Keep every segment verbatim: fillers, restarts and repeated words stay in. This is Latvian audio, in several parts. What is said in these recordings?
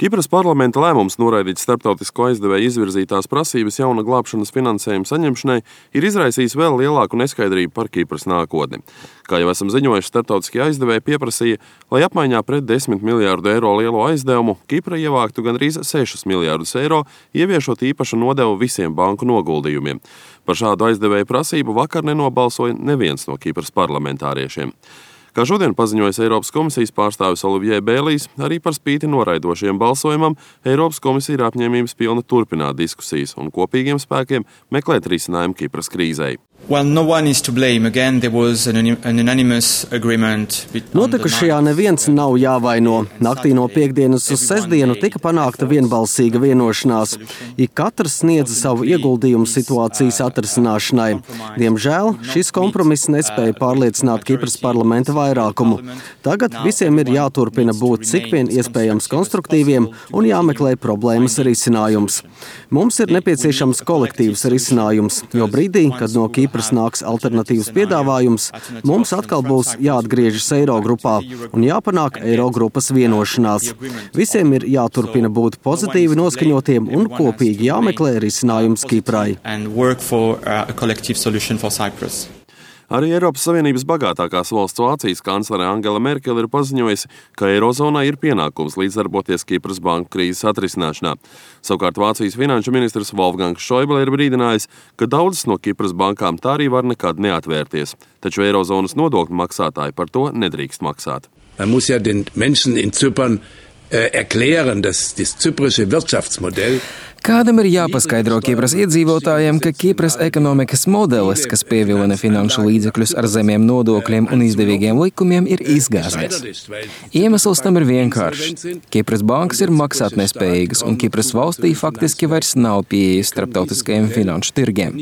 Kipras parlamenta lēmums noraidīt starptautisko aizdevēju izvirzītās prasības jauna glābšanas finansējuma saņemšanai ir izraisījis vēl lielāku neskaidrību par Kipras nākotni. Kā jau esam ziņojuši, starptautiskie aizdevēji pieprasīja, lai apmaiņā pret desmit miljārdu eiro lielo aizdevumu Kipra ievāktu gandrīz sešus miljārdus eiro, ieviešot īpašu nodevu visiem banku noguldījumiem. Par šādu aizdevēju prasību vakar nenobalsoja neviens no Kipras parlamentāriešiem. Kā šodien paziņojas Eiropas komisijas pārstāvis Olivier Bēlijs, arī par spīti noraidošiem balsojumam, Eiropas komisija ir apņēmības pilna turpināt diskusijas un kopīgiem spēkiem meklēt risinājumu Kipras krīzei. Well, no one is to blame. Again, there was an, an unanimous agreement. Notikušajā neviens nav jāvaino. Naktī no piekdienas uz sestdienu tika panākta vienbalsīga vienošanās. Ik katrs sniedza savu ieguldījumu situācijas atrisināšanai. Diemžēl šis kompromiss nespēja pārliecināt Kipras parlamenta vairākumu. Tagad visiem ir jāturpina būt cik vien iespējams konstruktīviem un jāmeklē problēmas risinājums. Mums ir nepieciešams kolektīvs risinājums, jo brīdī, kad no Kipras nāks alternatīvs piedāvājums, mums atkal būs jāatgriežas Eirogrupā un jāpanāk Eirogrupas vienošanās. Visiem ir jāturpina būt pozitīvi noskaņotiem un kopīgi jāmeklē risinājums Kiprai. Arī Eiropas Savienības bagātākās valsts Vācijas kanclere Angela Merkele ir paziņojusi, ka Eirozonai ir pienākums līdzdarboties Kipras banku krīzes atrisināšanā. Savukārt Vācijas finanšu ministrs Wolfgangs Schäuble ir brīdinājis, ka daudzas no Kipras bankām tā arī var nekad neatvērties, taču Eirozonas nodokļu maksātāji par to nedrīkst maksāt. Man muss ja den Menschen in Zypern erklären, dass das zyprische Wirtschaftsmodell Kādam ir jāpaskaidro Kipras iedzīvotājiem, ka Kipras ekonomikas modelis, kas pievilina finanšu līdzekļus ar zemiem nodokļiem un izdevīgiem likumiem, ir izgāzies. Iemesls tam ir vienkāršs. Kipras bankas ir maksātnespējīgas, un Kipras valstī faktiski vairs nav pieejas starptautiskajiem finanšu tirgiem.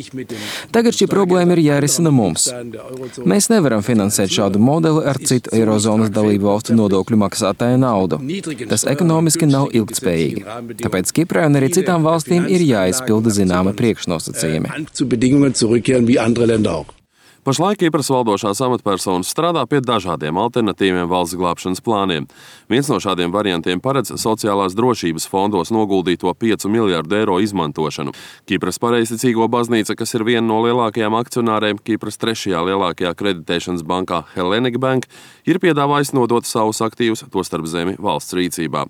Tagad šī problēma ir jārisina mums. Mēs nevaram finansēt šādu modeli ar citu Eirozonas dalību valstu nodokļu maksātāju naudu. Tas ekonomiski nav ilgtspējīgi. Tāpēc Kiprai un arī citām valstīm ir jāizpilda zināma priekšnosacījumi. Pašlaik Kipras valdošās amatpersonas strādā pie dažādiem alternatīviem valsts glābšanas plāniem. Viens no šādiem variantiem paredz sociālās drošības fondos noguldīto piecu miljārdu eiro izmantošanu. Kipras pareizticīgo baznīca, kas ir viena no lielākajām akcionāriem Kipras trešajā lielākajā kreditēšanas bankā Hellenic Bank, ir piedāvājis nodot savus aktīvus, tostarp zemi, valsts rīcībā.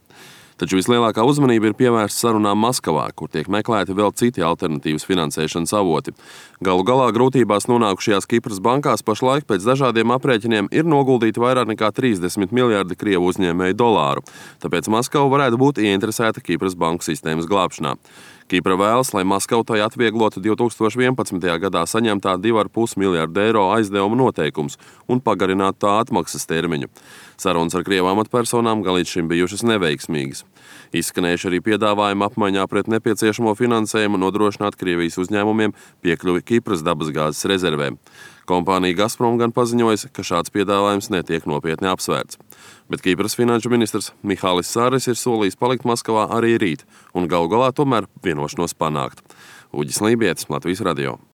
Taču vislielākā uzmanība ir pievērsta sarunām Maskavā, kur tiek meklēti vēl citi alternatīvas finansēšanas avoti. Galu galā grūtībās nonākušajās Kipras bankās pašlaik pēc dažādiem aprēķiniem ir noguldīti vairāk nekā trīsdesmit miljārdi Krievu uzņēmēju dolāru, tāpēc Maskava varētu būt ieinteresēta Kipras banku sistēmas glābšanā. Kipra vēlas, lai Maskava tai atvieglotu divi tūkstoši vienpadsmitajā gadā saņemtā divi ar pus miljārdu eiro aizdevuma noteikums un pagarinātu tā atmaksas termiņu. Sarunas ar Krievu amatpersonām gan līdz šim bijušas neveiksmīgas. Izskanējuši arī piedāvājumi apmaiņā pret nepieciešamo finansējumu nodrošināt Krievijas uzņēmumiem piekļuvi Kipras dabasgāzes rezervēm. Kompānija Gazprom gan paziņojas, ka šāds piedāvājums netiek nopietni apsvērts. Bet Kipras finanšu ministrs Mihālis Sāris ir solījis palikt Maskavā arī rīt un galu galā tomēr vienošanos panākt. Uģis Lībietis, Latvijas radio.